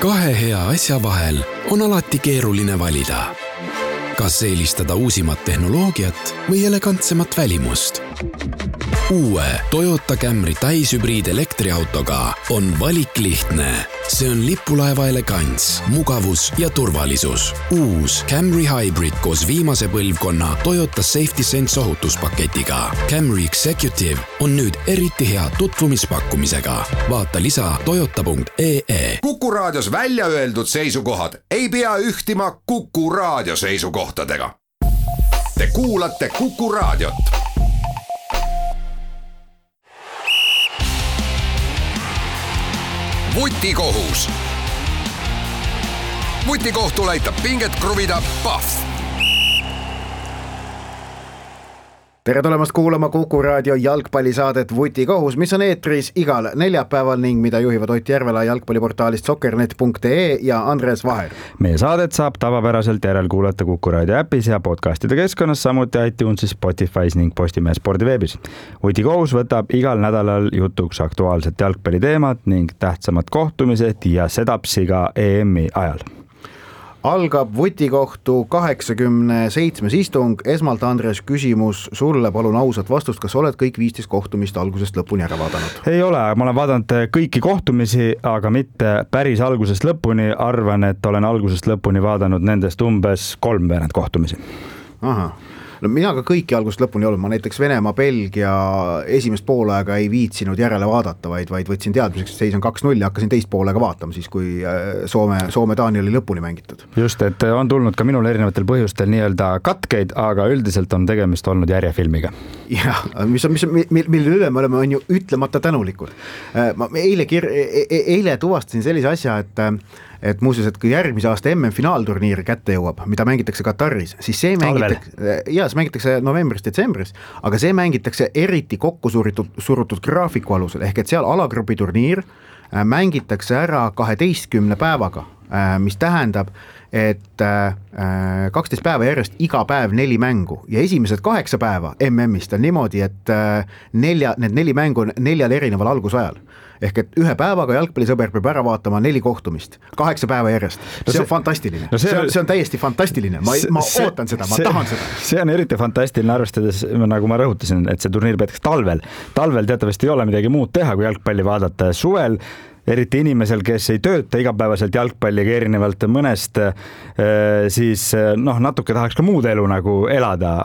Kahe hea asja vahel on alati keeruline valida. Kas eelistada uusimat tehnoloogiat või elegantsemat välimust? Uue Toyota Camry täishübriid elektriautoga on valik lihtne. See on lipulaeva elegants, mugavus ja turvalisus. Uus Camry Hybrid koos viimase põlvkonna Toyota Safety Sense ohutuspaketiga. Camry Executive on nüüd eriti hea tutvumispakkumisega. Vaata lisa toyota.ee. Kuku raadios välja öeldud seisukohad ei pea ühtima Kuku raadio seisukohtadega. Te kuulate Kuku raadiot. Vutikohus. Vutikohtul aitab pinget kruvida Pahv. Tere tulemast kuulama Kuku raadio jalgpallisaadet Vutikohus, mis on eetris igal neljapäeval ning mida juhivad Ott Järvela jalgpalliportaalist soccernet.ee ja Andres Vaher. Meie saadet saab tavapäraselt järelkuulata Kuku raadio äpis ja podcastide keskkonnas, samuti iTunesis, Spotify's ning Postimehe spordiveebis. Vutikohus võtab igal nädalal jutuks aktuaalset jalgpalliteemat ning tähtsamad kohtumised ja sedapsi ka EM-i ajal. Algab Vutikohtu 87. istung. Esmalt, Andres, küsimus sulle, palun ausat vastust, kas oled kõik 15 kohtumist algusest lõpuni ära vaadanud? Ei ole, ma olen vaadanud kõiki kohtumisi, aga mitte päris algusest lõpuni. Arvan, et olen algusest lõpuni vaadanud nendest umbes 3 kohtumisi. Aha. No mina ka kõiki algusest lõpuni olnud, ma näiteks Venemaa, Belgia esimest poolaega ei viitsinud järele vaadata, vaid võtsin teadmiseks, et seis on 2-0 ja hakkasin teist poolega vaatama siis, kui Soome-Taani oli lõpuni mängitud. Just, et on tulnud ka minul erinevatel põhjustel nii-öelda katkeid, aga üldiselt on tegemist olnud järjefilmiga. Jah, mille üle me oleme on ju ütlemata tänulikud. Ma eile tuvastasin sellise asja, et muuseas, et kui järgmise aasta MM-finaalturniir kätte jõuab, mida mängitakse Kataris, siis see mängitakse novembris-detsembris, aga see mängitakse eriti kokku surutud graafiku alusel, ehk et seal alagrupi turniir mängitakse ära 12 päevaga, mis tähendab, et 12 päeva järjest iga päev 4 mängu ja esimesed 8 päeva MM-ist on niimoodi, et need 4 mängu on 4 erineval algusajal. Ehk et ühe päevaga jalgpallisõber peab ära vaatama 4 kohtumist, 8 päeva järjest. See on fantastiline. See on täiesti fantastiline. Ma ootan seda, ma tahan seda. See on eriti fantastiline arvestades, nagu ma rõhutasin, et see turniir peetakse talvel. Talvel teatavasti ei ole midagi muud teha, kui jalgpalli vaadata. Suvel eriti inimesel, kes ei tööta igapäevaselt jalgpalliga erinevalt mõnest, siis natuke tahaks ka muud elu nagu elada.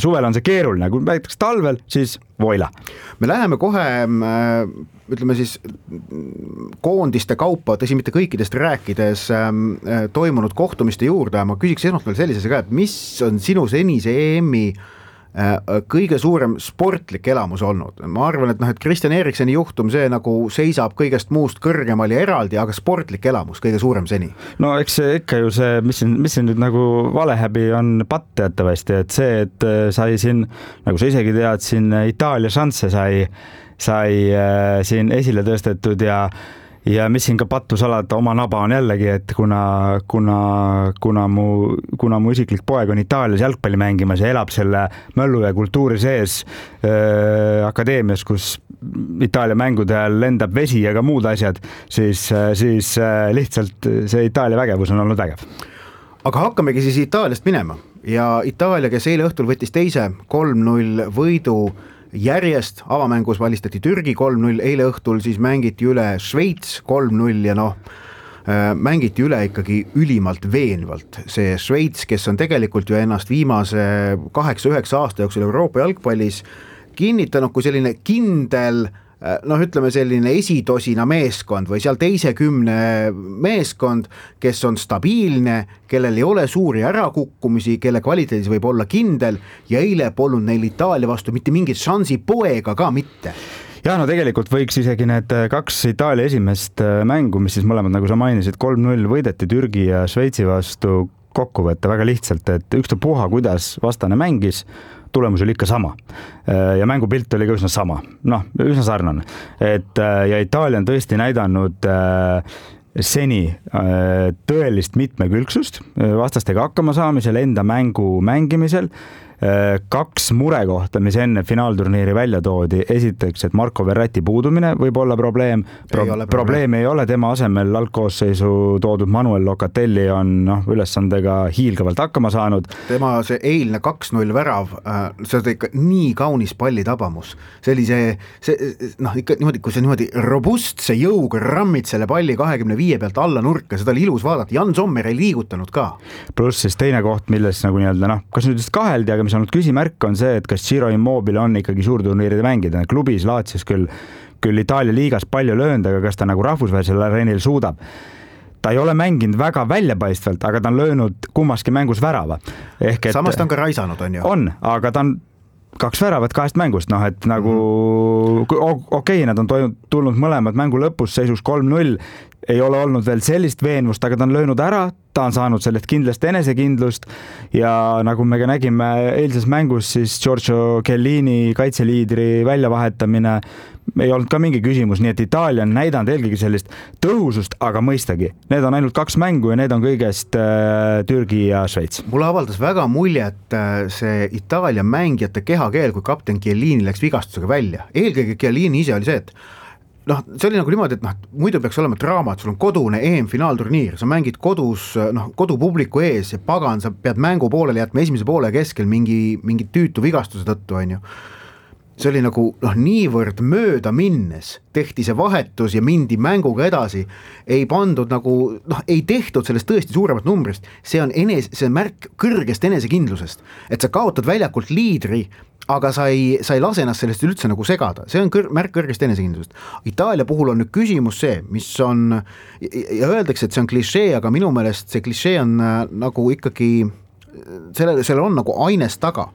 Suvel on see keeruline, kui näiteks talvel, siis voila. Me läheme kohe, ütleme siis, koondiste kaupa, tõsi mitte kõikidest rääkides toimunud kohtumiste juurde. Ma küsiks esmalt veel sellise ka, et mis on sinu senise EM-i kõige suurem sportlik elamus olnud? Ma arvan, et Christian Erikseni juhtum, see nagu seisab kõigest muust kõrgemal ja eraldi, aga sportlik elamus kõige suurem seni. No eks ikka ju see, mis siin nüüd nagu valehäbi on patt teatavasti, et see, et sai siin, nagu sa isegi tead, siin Itaalia šansse sai siin esile tõstetud ja mis siin ka pattusalada oma naba on jällegi, et kuna mu isiklik poeg on Itaalias jalgpalli mängimas ja elab selle möllu ja kultuuri sees akadeemias, kus Itaalia mängude ajal lendab vesi ja ka muud asjad, siis lihtsalt see Itaalia vägevus on olnud vägev. Aga hakkamegi siis Itaaliast minema ja Itaalia, kes eile õhtul võttis teise 3-0 võidu järjest, avamängus valistati Türgi 3-0, eile õhtul siis mängiti üle Šveits 3-0 ja mängiti üle ikkagi ülimalt veenvalt. See Šveits, kes on tegelikult ju ennast viimase 8-9 aasta jooksul Euroopa jalgpallis kinnitanud kui selline kindel, ütleme selline esitosina meeskond või seal teise 10 meeskond, kes on stabiilne, kellel ei ole suuri ärakukkumisi, kelle kvaliteedis võib olla kindel ja eile polnud neil Itaalia vastu mitte mingit šansi poega ka mitte. Ja tegelikult võiks isegi need 2 Itaalia esimest mängu, mis siis mõlemad, nagu sa mainisid, 3-0 võideti Türgi ja Šveitsi vastu kokku võtta väga lihtsalt, et ükstapuha, kuidas vastane mängis, tulemus oli ikka sama ja mängupilt oli ka üsna sama, üsna sarnane. Ja Itaalia on tõesti näidanud seni tõelist mitmekülgsust vastastega hakkama saamisel, enda mängu mängimisel kaks murekohta, mis enne finaalturniiri välja toodi. Esiteks, et Marco Verratti puudumine võib olla probleem. Probleem ei ole, tema asemel algkoosseisu toodud Manuel Locatelli on ülesandega hiilgavalt hakkama saanud. Tema see eilne 2-0 värav, see on ikka nii kaunis pallitabamus. See oli ikka niimoodi, kui see niimoodi robustse jõuga rammid selle palli 25 pealt alla nurka, seda oli ilus vaadata. Jan Sommer ei liigutanud ka. Pluss siis teine koht, milles nagu nii-öelda, kas nüüd just kaheldi, aga mis on küsimärk on see, et kas Ciro Immobile on ikkagi suurturniiride mängida. Klubis Laatsis küll Itaalia liigas palju löönud, aga kas ta nagu rahvusvahelisel areenil suudab. Ta ei ole mänginud väga väljapaistvalt, aga ta on löönud kummaski mängus värava. Samas ta on ka raisanud, on ju? On, aga ta on 2 väravat 2 mängust, et nagu okei, nad on tulnud mõlemad mängu lõpus seisus 3-0, ei ole olnud veel sellist veenvust, aga ta on löönud ära, ta on saanud sellest kindlasti enesekindlust ja nagu me ka nägime eilses mängus, siis Giorgio Chiellini kaitseliidri väljavahetamine ei olnud ka mingi küsimus, nii et Itaalia on näidanud eelkõige sellist tõhusust, aga mõistagi, need on ainult 2 mängu ja need on kõigest Türgi ja Šveits. Mulle avaldas väga muljet see Itaalia mängijate kehakeel, kui kapten Chiellini läks vigastusega välja. Eelkõige Chiellini ise oli see, et see oli nagu niimoodi, et muidu peaks olema draama, et sul on kodune EM-finaalturniir, sa mängid kodus, kodupubliku ees ja pagan, sa pead mängu poolele jätma esimese poole keskel mingi tüütu vigastuse tõttu, on ju. See oli nagu niivõrd mööda minnes, tehti see vahetus ja mindi mänguga edasi, ei pandud nagu, ei tehtud sellest tõesti suuremat numbrist, see on märk kõrgest enesekindlusest, et sa kaotad väljakult liidri, aga sa ei lase ennast sellest üldse nagu segada, see on märk kõrgest enesekindlusest. Itaalia puhul on nüüd küsimus see, mis on, ja öeldakse, et see on klišee, aga minu meelest see klišee on nagu ikkagi, sellel on nagu aines taga.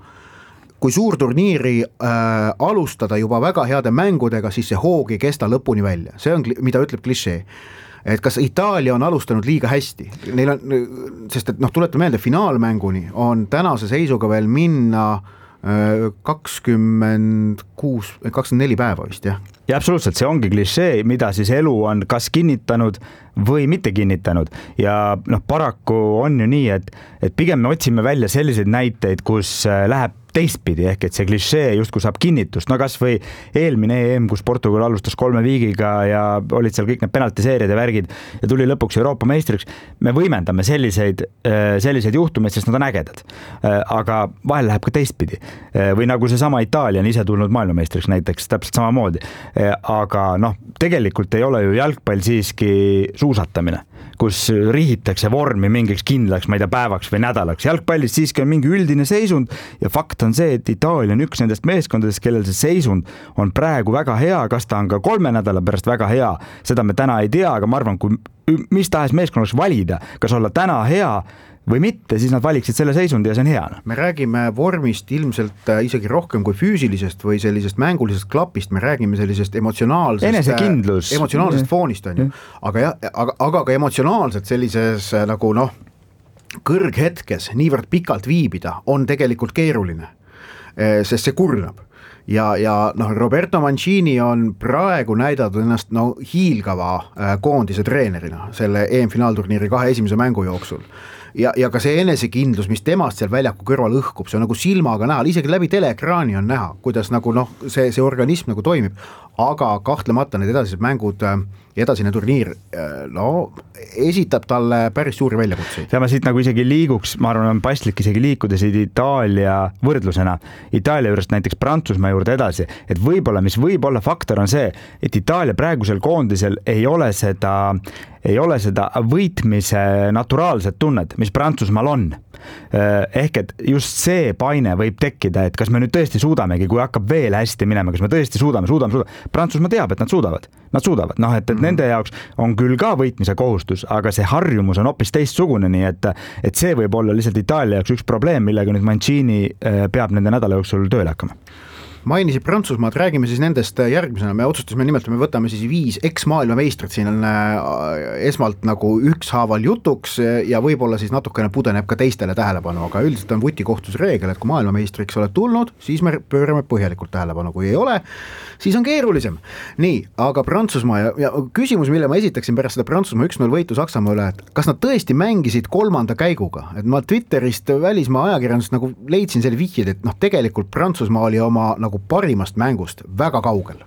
Kui suurturniiri alustada juba väga heade mängudega, siis see hoog ei kesta lõpuni välja. See on, mida ütleb klišee. Et kas Itaalia on alustanud liiga hästi? Neil on, sest et tuleta meelde, finaalmänguni on tänase seisuga veel minna 24 päeva vist, jah? Ja absoluutselt, see ongi klišee, mida siis elu on kas kinnitanud või mitte kinnitanud ja paraku on ju nii, et pigem me otsime välja selliseid näiteid, kus läheb teistpidi, ehk et see klišee justkui saab kinnitust, kas või eelmine EM, kus Portugal alustas 3 viigiga ja olid seal kõik need penaltiseerid ja värgid ja tuli lõpuks Euroopa meistriks, me võimendame selliseid juhtumeid, sest nad on ägedad, aga vahel läheb ka teistpidi või nagu see sama Itaalia on ise tulnud maailmameistriks näiteks täpselt samamoodi, aga tegelikult ei ole ju jalgpall siiski suusatamine, kus rihitakse vormi mingiks kindlaks, ma ei tea, päevaks või nädalaks. Jalgpallis siiski on mingi üldine seisund ja fakt on see, et Itaalia on üks nendest meeskondadest, kellel see seisund on praegu väga hea, kas ta on ka 3 nädala pärast väga hea, seda me täna ei tea, aga ma arvan, kui mis tahes meeskonnaks valida, kas olla täna hea või mitte, siis nad valiksid selle seisundi ja see on hea. Me räägime vormist ilmselt isegi rohkem kui füüsilisest või sellisest mängulisest klapist, me räägime sellisest emotsionaalsest foonist, on ju. Aga ka emotsionaalselt sellises nagu kõrghetkes niivõrd pikalt viibida on tegelikult keeruline, sest see kurnab. Ja Roberto Mancini on praegu näidatud ennast hiilgava koondise treenerina selle EM-finaalturniiri 2 esimese mängu jooksul. Ja ka see enesekindlus, mis temast seal väljaku kõrval õhkub, see on nagu silmaga näha, isegi läbi teleekraani on näha, kuidas nagu see organism nagu toimib, aga kahtlemata need edasised mängud ja edasine turniir esitab talle päris suuri väljakutseid. Ja ma siit nagu isegi liiguks, ma arvan, on paslik isegi liikuda siit Itaalia võrdlusena. Itaalia juurest näiteks Prantsusmaa juurde edasi, et võib-olla, mis võib-olla faktor on see, et Itaalia praegusel koondisel ei ole seda võitmise naturaalset tunnet, mis Prantsusmaal on. Ehk et just see paine võib tekkida, et kas me nüüd tõesti suudamegi, kui hakkab veel hästi minema, kas me tõesti suudame. Prantsusmaa teab, et nad suudavad. Et nende jaoks on küll ka võitmise kohustus, aga see harjumus on hoopis teistsugune, nii et see võib olla lihtsalt Itaalia jaoks üks probleem, millega nüüd Mancini peab nende nädala jooksul tööle hakkama. mainisid Prantsusmaad, räägime siis nendest järgmisena, me otsustasime nimelt, me võtame siis 5 eks-maailmameistrit, siin on esmalt nagu ükshaaval jutuks ja võib-olla siis natukene pudeneb ka teistele tähelepanu, aga üldiselt on vutikohtuse reegel, et kui maailmameistriks oled tulnud, siis me pöörame põhjalikult tähelepanu, kui ei ole, siis on keerulisem. Nii, aga Prantsusmaa ja küsimus, mille ma esitaksin pärast seda Prantsusmaa 1-0 võitu Saksamaa üle, et kas nad tõesti mängisid 3. käiguga, et ma Twitterist välismaa ajakirjandust nagu leidsin selle vihjed, et tegelikult Prantsusmaa oli oma nagu parimast mängust väga kaugel.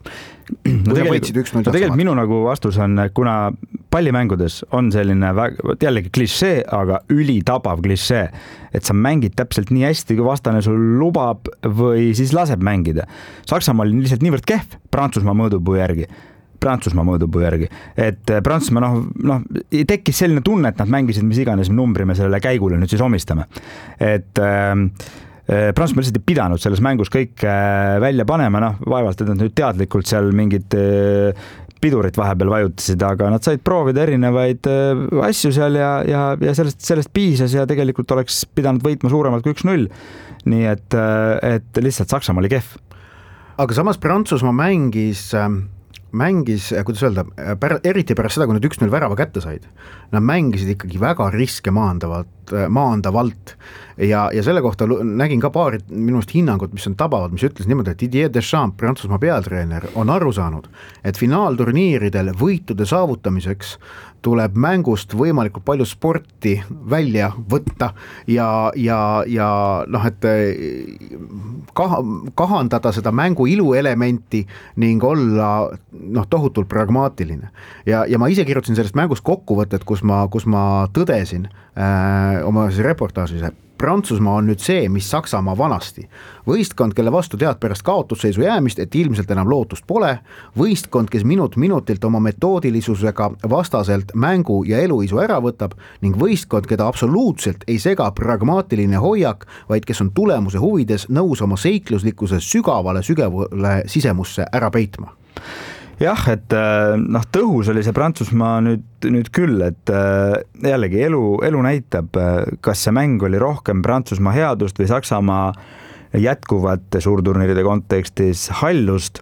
No tegelikult minu nagu vastus on, kuna pallimängudes on selline jällegi klišee, aga ülitabav klišee, et sa mängid täpselt nii hästi, kui vastane sul lubab või siis laseb mängida. Saksamaa oli lihtsalt niivõrd kehv Prantsusmaa mõõdupuu järgi, et Prantsusmaa tekkis selline tunne, et nad mängisid mis iganes numbri me sellele käigule nüüd siis omistame. Et Prantsusmaa lihtsalt ei pidanud selles mängus kõik välja panema, vaevalt, et nad nüüd teadlikult seal mingid pidurit vahepeal vajutasid, aga nad said proovida erinevaid asju seal ja sellest piisas ja tegelikult oleks pidanud võitma suuremalt kui 1-0. Nii et lihtsalt Saksamaa oli kehv. Aga samas Prantsusmaa mängis, kuidas öelda, eriti pärast seda, kui nad 1-0 värava kätte said, nad mängisid ikkagi väga riske maandavalt ja selle kohta nägin ka paari minust hinnangut, mis on tabavad, mis ütles niimoodi, et Didier Deschamps, Prantsusmaa peatreener, on aru saanud, et finaalturniiridel võitude saavutamiseks tuleb mängust võimalikult palju sporti välja võtta ja et kahandada seda mängu iluelementi ning olla tohutult pragmaatiline. Ja ma ise kirjutasin sellest mängust kokkuvõtet, kus ma tõdesin oma reportaažis, et Prantsusmaa on nüüd see, mis Saksamaa vanasti. Võistkond, kelle vastu tead pärast kaotusseisu jäämist, et ilmselt enam lootust pole. Võistkond, kes minutilt oma metoodilisusega vastaselt mängu ja eluisu ära võtab ning võistkond, keda absoluutselt ei sega pragmaatiline hoiak, vaid kes on tulemuse huvides nõus oma seikluslikkuse sügavale sisemusse ära peitma. Jah, et tõhus oli see Prantsusmaa nüüd küll, et jällegi elu näitab, kas see mäng oli rohkem Prantsusmaa headust või Saksamaa jätkuvate suurturniiride kontekstis hallust,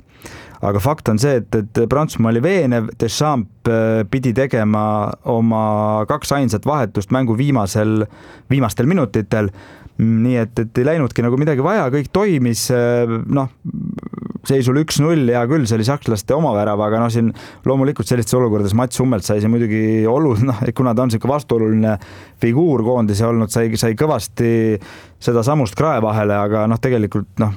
aga fakt on see, et Prantsusmaa oli veenev, Deschamps pidi tegema oma 2 ainsat vahetust mängu viimastel minutitel, nii et ei läinudki nagu midagi vaja, kõik toimis, seisul 1-0 ja küll see oli sakslaste omavärava, aga siin loomulikult sellistes olukordades Mats Hummelt sai see muidugi kuna ta on selline vastuoluline figuur koondise olnud, sai kõvasti seda samust krae vahele, aga tegelikult ta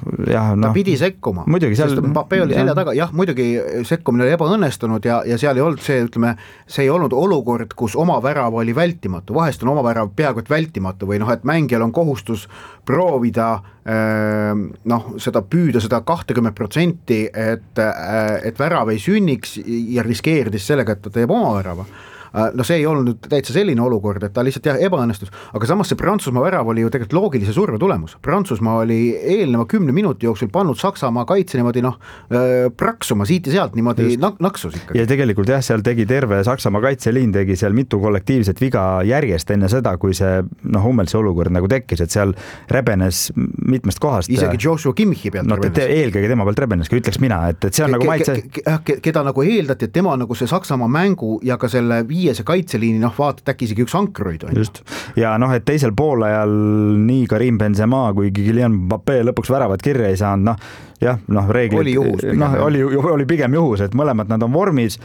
pidi sekkuma, muidugi seal Mbappé oli selja taga, muidugi sekkumine oli ebaõnnestunud ja seal ei olnud see ei olnud olukord, kus omavärav oli vältimatu, vahest on omavärav peaaegu et vältimatu või et mängijal on kohustus proovida seda püüda seda 20%, et värav ei sünniks ja riskeeridis sellega, et ta teeb oma värava. See ei olnud täitsa selline olukord, et ta lihtsalt ebaõnnestus, aga samas see Prantsusmaa värav oli ju tegelikult loogilise surve tulemus. Prantsusmaa oli eelneva 10 minuti jooksul pannud Saksamaa kaitse niimoodi praksuma siit ja sealt niimoodi naksus ikkagi. Ja tegelikult seal tegi terve Saksamaa kaitseliin tegi seal mitu kollektiivset viga järjest enne seda, kui see Hummelsi olukord nagu tekkis, et seal rebenes mitmest kohast. Isegi Joshua Kimmichi pealt rebenes. Eelkõige tema pealt rebenes, ütleks mina, et see on nagu maitse. Keda nagu eeldati, et tema nagu see Saksamaa mängu ja ka selle see kaitseliini, vaatad äkki isegi üks ankroid on. Just. Ja et teisel poolajal nii Karim Benzema kui Kylian Mbappé lõpuks väravat kirja ei saanud, reeglid oli juhus oli pigem juhus, et mõlemad nad on vormis,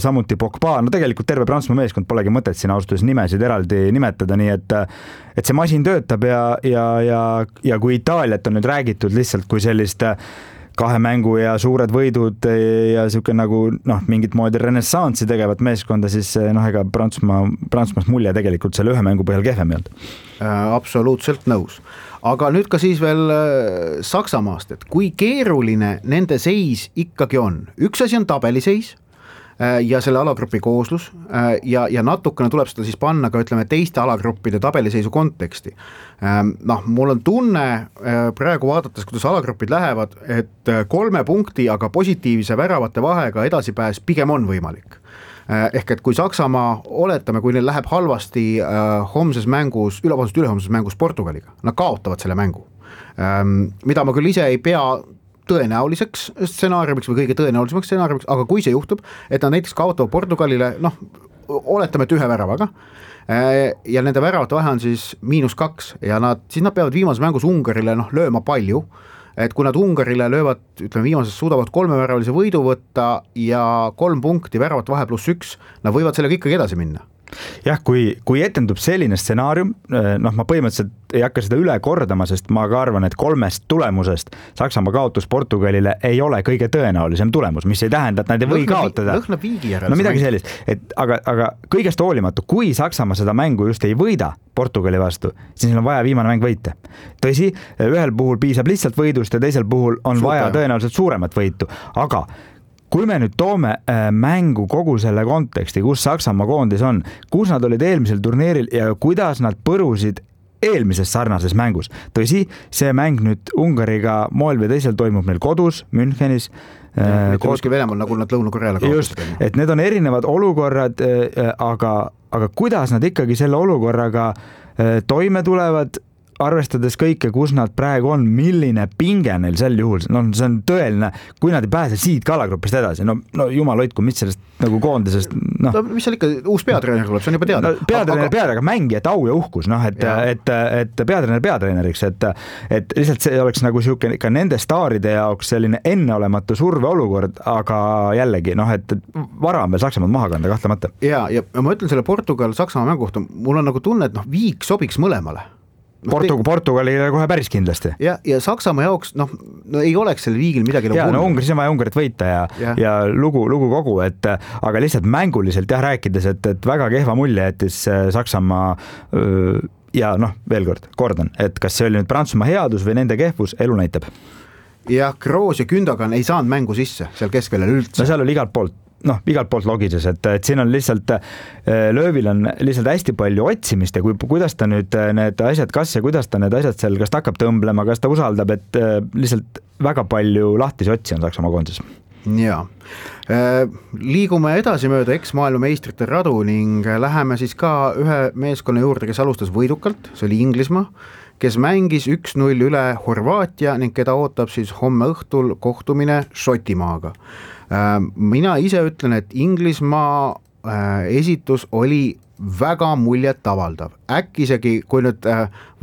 samuti Pogba, tegelikult terve Prantsusmaa meeskond polegi mõtet siin austus nimesid eraldi nimetada, nii et see masin töötab ja kui Itaaliat on nüüd räägitud lihtsalt kui sellist 2 mängu ja suured võidud ja siuke nagu mingit moodi renessansi tegevat meeskonda, siis ega Prantsusmaast mulje tegelikult selle 1 mängu põhjal kehvem ei olnud. Absoluutselt nõus. Aga nüüd ka siis veel Saksamaast, et kui keeruline nende seis ikkagi on. Üks asi on tabeliseis ja selle alagrupi kooslus ja natukene tuleb seda siis panna ka teiste alagruppide tabeliseisu konteksti. Mul on tunne praegu vaadates, kuidas alagrupid lähevad, et 3 punkti, aga positiivse väravate vahega edasipääs pigem on võimalik. Ehk et kui Saksamaa, oletame, kui neil läheb halvasti ülehomses mängus Portugaliga, nad kaotavad selle mängu. Mida ma küll ise ei pea tõenäoliseks stsenaariumiks või kõige tõenäolisemaks stsenaariumiks, aga kui see juhtub, et nad näiteks kaotavad Portugalile, oletame, et 1 väravaga ja nende väravate vahe on siis -2 ja siis nad peavad viimases mängus Ungarile lööma palju, et kui nad Ungarile löövad, ütleme viimases suudavad 3-väravalise võidu võtta ja 3 punkti väravat vahe +1, nad võivad sellega ikkagi edasi minna. Jah, kui etendub selline stsenaarium, ma põhimõtteliselt ei hakka seda üle kordama, sest ma ka arvan, et 3 tulemusest Saksamaa kaotus Portugalile ei ole kõige tõenäolisem tulemus, mis ei tähenda, et nad ei või kaotada. Lõhnab viigi järel. No midagi sellist, aga kõigest hoolimatu, kui Saksamaa seda mängu just ei võida Portugali vastu, siis neil on vaja viimane mäng võita. Tõsi, ühel puhul piisab lihtsalt võidust ja teisel puhul on vaja tõenäoliselt suuremat võitu, aga kui me nüüd toome mängu kogu selle konteksti, kus Saksamaa koondis on, kus nad olid eelmisel turniiril ja kuidas nad põrusid eelmises sarnases mängus. Tõsi, see mäng nüüd Ungariga moel või teisel toimub meil kodus, Münchenis. Kuskil Venemaal, nagu nad Lõuna-Koreale kaotasid. Just, et need on erinevad olukorrad, aga kuidas nad ikkagi selle olukorraga toime tulevad, arvestades kõike, kus nad praegu on, milline pinge neil sel juhul, see on tõeline, kui nad ei pääse siit kalagrupist edasi, jumal hoidku, mis sellest nagu koondisest, mis seal ikka, uus peatreener tuleb, see on juba teada. Peatreener, aga mängijad au ja uhkus, et peatreener peatreeneriks, et lihtsalt see oleks nagu siuke ka nende staaride jaoks selline enneolematu surveolukord, aga jällegi, et vara on veel Saksamaad maha kanda, kahtlemata. Ja ma ütlen selle Portugal-Saksamaa mängu kohta, mul on nagu tunne, et viik sobiks mõlemale. Portugalile kohe päris kindlasti. Ja Saksamaa jaoks, ei oleks selle viigil midagi Ungaris on vaja Ungarit võita ja lugu kogu, aga lihtsalt mänguliselt rääkides, et väga kehva mulje jättis Saksamaa ja veel kordan, et kas see oli nüüd Prantsusmaa headus või nende kehvus, elu näitab. Ja Kroos ja Gündogan ei saanud mängu sisse seal keskväljal üldse. Seal oli igalt poolt logises, et siin on lihtsalt löövil on lihtsalt hästi palju otsimist ja kuidas ta nüüd need asjad, kuidas ta need asjad seal, kas ta hakkab tõmblema, kas ta usaldab, et lihtsalt väga palju lahtisi otsi on Saksamaa koondises. Jaa. Liigume edasi mööda eks-maailmameistrite radu ning läheme siis ka ühe meeskonna juurde, kes alustas võidukalt, see oli Inglismaa, kes mängis 1-0 üle Horvaatia ning keda ootab siis homme õhtul kohtumine Šotimaaga. Mina ise ütlen, et Inglismaa esitus oli väga muljet avaldav. Äkki isegi, kui nüüd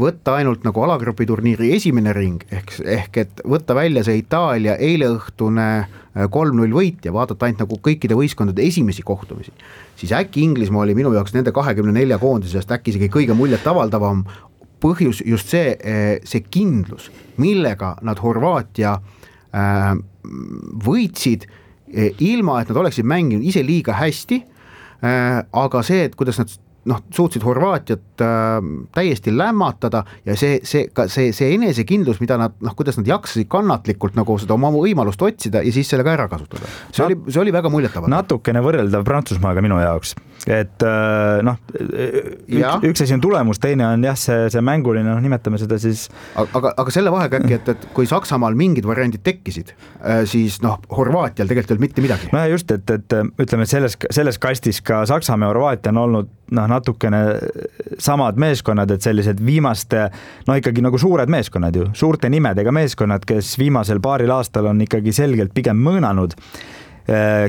võtta ainult nagu alagrupi turniiri esimene ring, ehk et võtta välja see Itaalia eileõhtune 3-0 võit ja vaadata ainult nagu kõikide võistkondade esimesi kohtumisi, siis äkki Inglismaa oli minu jaoks nende 24 koondisest äkki isegi kõige muljet avaldavam põhjus just see kindlus, millega nad Horvaatia võitsid, ilma et nad oleksid mänginud ise liiga hästi, aga see, et kuidas nad suutsid Horvaatiat täiesti lämmatada ja see enesekindlus, mida nad, kuidas nad jaksasid kannatlikult nagu seda oma võimalust otsida ja siis sellega ära kasutada. See oli väga muljetav. Natukene võrreldav Prantsusmaaga minu jaoks, et üks asi on tulemus, teine on see mänguline, nimetame seda siis. Aga selle vahega äkki, et kui Saksamaal mingid variandid tekkisid, siis Horvaatial tegelikult ei olnud mitte midagi. No just, et ütleme, selles kastis ka Saksamaa ja Horvaatia on olnud natukene samad meeskonnad, et sellised viimaste, ikkagi nagu suured meeskonnad ju, suurte nimedega meeskonnad, kes viimasel paaril aastal on ikkagi selgelt pigem mõõnanud,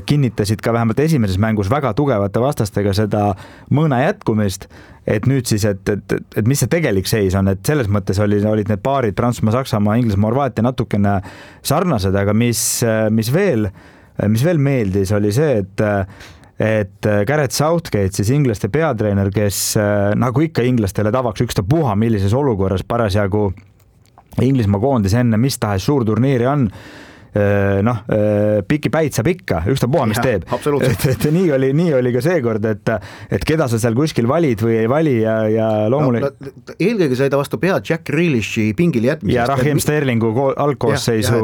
kinnitasid ka vähemalt esimeses mängus väga tugevate vastastega seda mõõna jätkumist, et nüüd siis, et mis see tegelik seis on, et selles mõttes olid need paarid Prantsusmaa, Saksamaa, Inglismaa, Horvaatia natukene sarnased, aga mis veel meeldis, oli see, et Gareth Southgate, siis inglaste peatreener, kes nagu ikka inglastele tavaks ükstapuha, millises olukorras parasjagu Inglismaa koondis enne mis tahes suur turniiri on, piki päid saab ikka, ükstapuha, mis teeb. Et nii oli ka seekord, et keda sa seal kuskil valid või ei vali ja loomulikult. Eelkõige sai ta vastu pead Jack Grealishi pingil jätmisest. Ja Raheem Sterlingu algkoosseisu.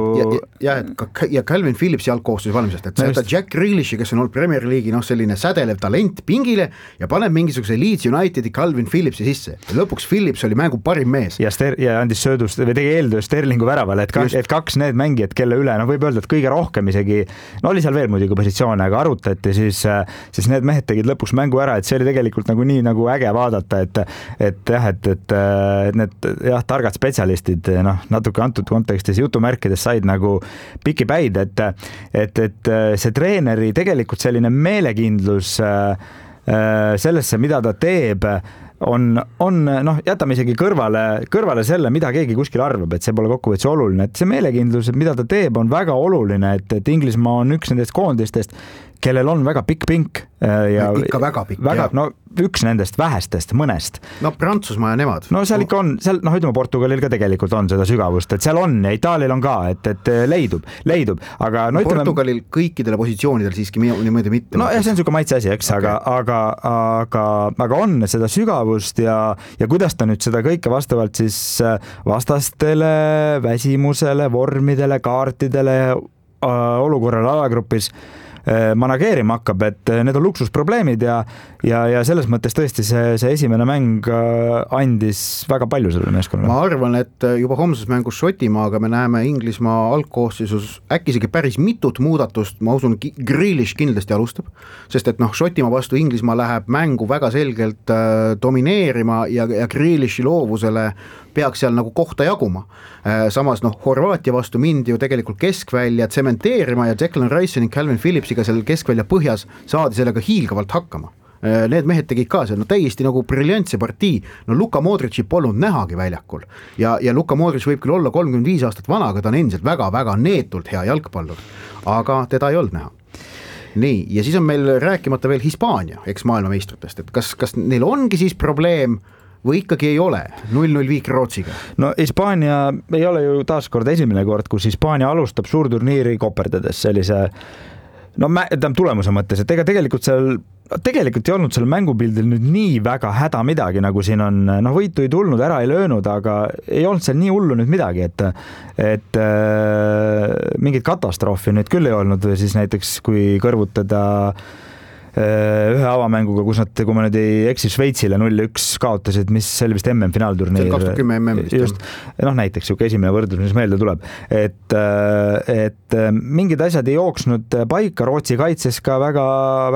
Ja Calvin Phillipsi algkoosseisu valmisest. Et sai ta Jack Grealishi, kes on olnud Premier League'i selline sädelev talent pingile ja paneb mingisuguse Leeds Unitedi Calvin Phillipsi sisse. Ja lõpuks Phillips oli mängu parim mees. Ja andis söödust või tegi eeltöö Sterlingu väravale, et kaks need mängijad, kelle üle noh, võib öelda, et kõige rohkem isegi, no oli seal veel muidugi positsioone, aga arutati, siis need mehed tegid lõpuks mängu ära, et see oli tegelikult nagu nii nagu äge vaadata, et need jah, targad spetsialistid, noh, natuke antud kontekstis jutumärkides said nagu piki päid, et see treeneri tegelikult selline meelekindlus sellesse, mida ta teeb, on noh, jätame isegi kõrvale selle, mida keegi kuskil arvab, et see pole kokkuvõttes oluline, et see meelekindlus, mida ta teeb, on väga oluline, et Inglismaa on üks nendest koondistest, kellel on väga pikk pink. Ja ikka väga pikk. No üks nendest vähestest, mõnest. No Prantsusmaa ja nemad. No seal ikka on, noh, ütleme Portugalil ka tegelikult on seda sügavust, et seal on ja Itaalial on ka, et leidub, aga no ütleme... Portugalil kõikidele positsioonidel siiski niimoodi mitte. No ja see on niisugune maitse asi, eks, okay. aga on seda sügavust ja kuidas ta nüüd seda kõike vastavalt siis vastastele, väsimusele, vormidele, kaartidele, olukorrale alagrupis manageerima hakkab, et need on luksusprobleemid ja selles mõttes tõesti see esimene mäng andis väga palju sellele meeskonnale. Ma arvan, et juba homses mängus Šotimaaga me näeme Inglismaa algkoosseisus äkki isegi päris mitut muudatust, ma usun, Grealish kindlasti alustab, sest et noh, Šotimaa vastu Inglismaa läheb mängu väga selgelt domineerima ja Grealishi loovusele peaks seal nagu kohta jaguma. Samas noh, Horvaatia vastu mindi ju tegelikult keskvälja tsementeerima ja Declan Rice ning Calvin Phillipsiga seal keskvälja põhjas saadi sellega hiilgavalt hakkama. Need mehed tegid ka seal, no täiesti nagu briljantse partii, no Luka Modrici polnud nähagi väljakul ja Luka Modric võib küll olla 35 aastat vana, aga ta on endiselt väga-väga neetult hea jalgpallur, aga teda ei olnud näha. Nii, ja siis on meil rääkimata veel Hispaania, eks maailmameistritest, et kas neil ongi siis probleem või ikkagi ei ole 0-0 viik Rootsiga? No Hispaania ei ole ju taaskord esimene kord, kus Hispaania alustab suurturniiri koperdades sellise tulemuse mõttes, et ega tegelikult ei olnud seal mängupildil nüüd nii väga häda midagi, nagu siin on, võitu ei tulnud, ära ei löönud, aga ei olnud seal nii hullu nüüd midagi, et mingit katastroofi nüüd küll ei olnud, siis näiteks kui kõrvutada ühe avamänguga, kus nad, kui ma nüüd ei eksi, Šveitsile 0-1 kaotasid, mis see oli vist MM-finaalturniir. 2010 MM vist. Just, näiteks siuke esimene võrdlus, mis meelde tuleb. Et mingid asjad ei jooksnud paika, Rootsi kaitses ka väga,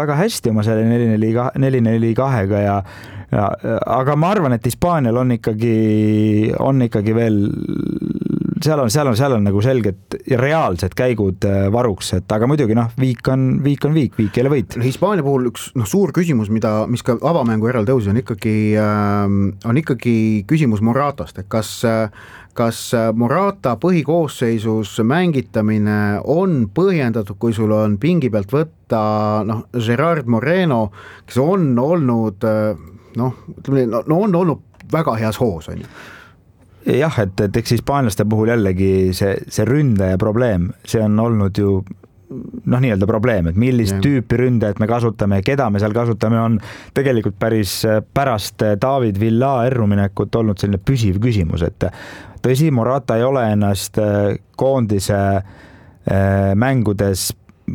väga hästi oma selle 4-4-2-ga aga ma arvan, et Hispaanial on ikkagi veel seal on nagu selged ja reaalsed käigud varuks, et aga muidugi viik ei ole võit. Hispaania puhul üks suur küsimus, mis ka avamängu järel tõusis, on ikkagi küsimus Moratast, et kas Morata põhikoosseisus mängitamine on põhjendatud, kui sul on pingi pealt võtta Gerard Moreno, kes on olnud on olnud väga heas hoos, on ju. Jah, et eks hispaanlaste puhul jällegi see ründaja probleem, see on olnud ju nii-öelda probleem, et millist tüüpi ründajat me kasutame ja keda me seal kasutame, on tegelikult päris pärast David Villa erruminekut olnud selline püsiv küsimus, et tõsi, Morata ei ole ennast koondise mängudes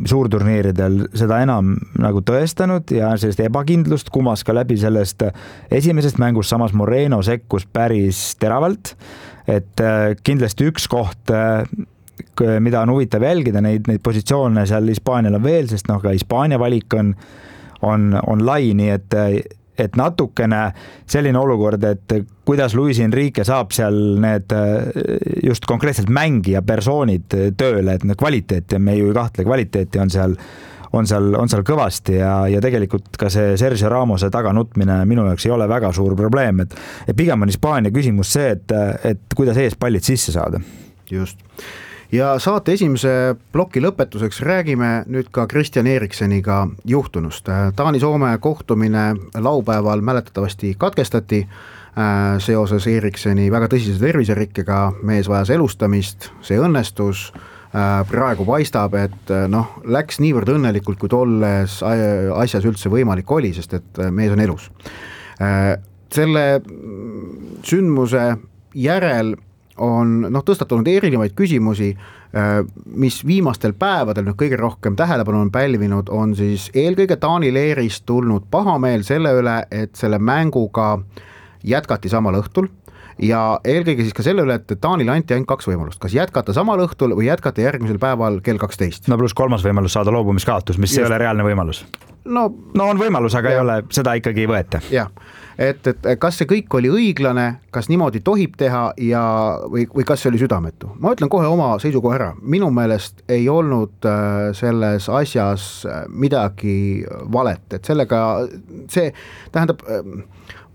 suurturniiridel seda enam nagu tõestanud ja sellist ebakindlust kumas ka läbi sellest esimesest mängust, samas Moreno sekkus päris teravalt, et kindlasti üks koht, mida on huvitav jälgida, neid positsioone seal Hispaanial on veel, sest ka Hispaania valik on lai, nii et natukene selline olukord, et kuidas Luis Enrique saab seal need just konkreetselt mängija persoonid tööle, et kvaliteeti, me ju ei kahtle, kvaliteeti on seal kõvasti ja tegelikult ka see Sergio Ramose taganutmine minu jaoks ei ole väga suur probleem, et pigem on Hispaania küsimus see, et kuidas eespallid sisse saada. Just. Ja saate esimese ploki lõpetuseks räägime nüüd ka Christian Erikseniga juhtunust. Taani-Soome kohtumine laupäeval mäletatavasti katkestati seoses Erikseni väga tõsise terviserikkega, mees vajas elustamist, see õnnestus, praegu paistab, et läks niivõrd õnnelikult, kui tolles asjas üldse võimalik oli, sest et mees on elus. Selle sündmuse järel on tõstatunud erinevaid küsimusi, mis viimastel päevadel kõige rohkem tähelepanu on pälvinud, on siis eelkõige Taani leerist tulnud pahameel selle üle, et selle mänguga jätkati samal õhtul, ja eelkõige siis ka selle üle, et Taanile anti ainult 2 võimalust, kas jätkata samal õhtul või jätkata järgmisel päeval kell 12. No pluss 3. võimalus saada loobumiskaotus, mis ei ole reaalne võimalus. No on võimalus, aga ei ole, seda ikkagi ei võeta. Jah, et kas see kõik oli õiglane, kas niimoodi tohib teha või kas see oli südametu? Ma ütlen kohe oma seisukoha ära. Minu meelest ei olnud selles asjas midagi valet, et sellega see tähendab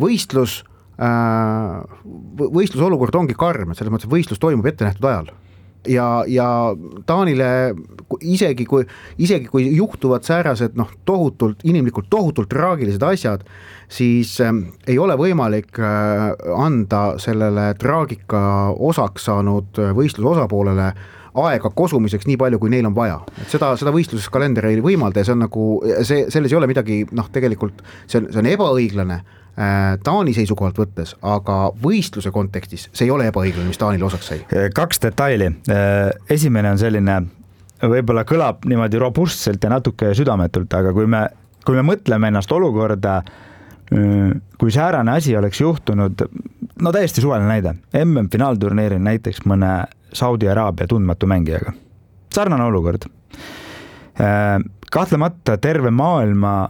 võistlusolukord ongi karm, et selles mõttes võistlus toimub ette nähtud ajal. Ja Taanile isegi kui juhtuvad säärased inimlikult tohutult traagilised asjad, siis ei ole võimalik anda sellele traagika osaks saanud võistluse osapoolele aega kosumiseks nii palju, kui neil on vaja. Et seda võistluses kalender ei võimalda ja see on nagu, selles ei ole midagi, tegelikult see on ebaõiglane Taani seisukohalt võttes, aga võistluse kontekstis see ei ole ebaõiglane, mis Taanile osaks sai. 2 detaili. Esimene on selline, võib-olla kõlab niimoodi robustselt ja natuke südametult, aga kui me mõtleme ennast olukorda, kui säärane asi oleks juhtunud, no täiesti suvaline näide, MM-finaalturniiril näiteks mõne Saudi Araabia tundmatu mängijaga. Sarnane olukord. Kahtlemata terve maailma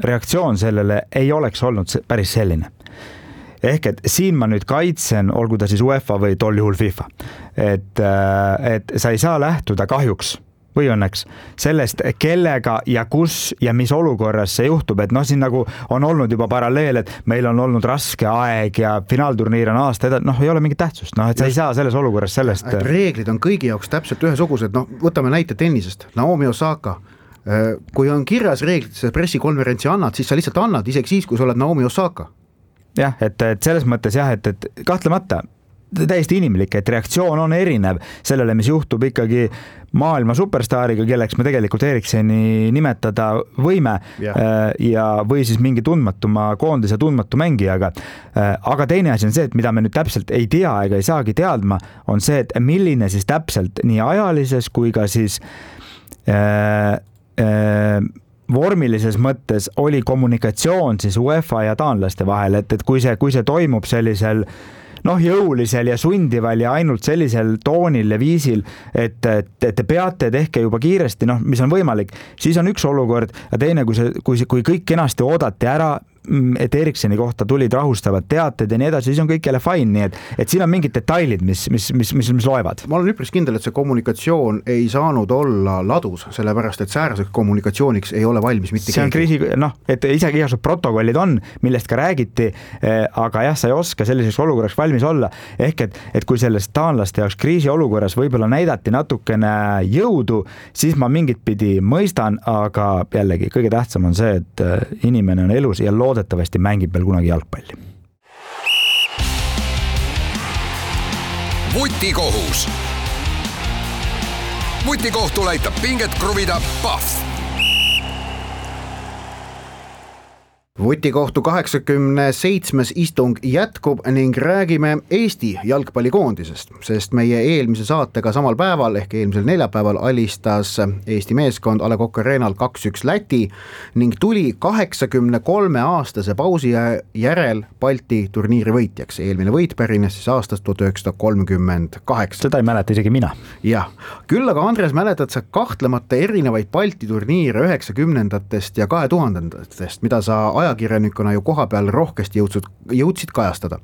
reaktsioon sellele ei oleks olnud päris selline. Ehk et siin ma nüüd kaitsen, olgu ta siis UEFA või tol juhul FIFA, et sa ei saa lähtuda kahjuks või õnneks sellest, kellega ja kus ja mis olukorras see juhtub, et siin nagu on olnud juba paralleel, et meil on olnud raske aeg ja finaalturniir on aasta ei ole mingit tähtsust, et sa ei saa selles olukorras sellest. Reeglid on kõigi jaoks täpselt ühesugused, võtame näite tennisest, Naomi Osaka, kui on kirjas reeglites pressikonverentsi annad, siis sa lihtsalt annad, isegi siis, kui sa oled Naomi Osaka. Jah, et selles mõttes jah, et kahtlemata täiesti inimlik, et reaktsioon on erinev sellele, mis juhtub ikkagi maailma superstaariga, kelleks me tegelikult Erikseni nimetada võime ja või siis mingi tundmatuma koondise tundmatu mängijaga. Aga teine asi on see, et mida me nüüd täpselt ei tea ega ei saagi teadma, on see, et milline siis täpselt nii ajalises kui ka siis vormilises mõttes oli kommunikatsioon siis UEFA ja taanlaste vahel, et kui see toimub sellisel jõulisel ja sundival ja ainult sellisel toonil ja viisil, et te peate tehke juba kiiresti, mis on võimalik, siis on üks olukord ja teine, kui kõik kenasti oodati ära, et Erikseni kohta tulid rahustavad teated ja nii edasi, siis on kõik jälle fine, nii et siin on mingid detailid, mis loevad. Ma olen üpris kindel, et see kommunikatsioon ei saanud olla ladus, sellepärast, et sääraseks kommunikatsiooniks ei ole valmis mitte see on kriisi, et isegi igasugused protokollid on, millest ka räägiti, aga jah, sa ei oska selliseks olukorraks valmis olla, ehk et kui sellest taanlaste jaoks kriisi olukorras võib-olla näidati natukene jõudu, siis ma mingit pidi mõistan, aga jällegi kõige tähtsam on see, et inimene on elus ja loodetavasti mängib veel kunagi jalgpalli. Vutikohus. Vutikohtul aitab pinget kruvida Pahv. Vutikohtu 87. istung jätkub ning räägime Eesti jalgpallikoondisest, sest meie eelmise saatega samal päeval ehk eelmisel neljapäeval alistas Eesti meeskond A. Le Coq Arena'l 2-1 Läti ning tuli 83-aastase pausi järel Balti turniiri võitjaks. Eelmine võit pärines siis aastast 1938. Seda ei mäleta isegi mina. Jah, küll aga Andres mäletad sa kahtlemata erinevaid Balti turniire 90-ndatest ja 2000-ndatest, mida sa ajakirjanikuna ju koha peal rohkesti jõudsid kajastada.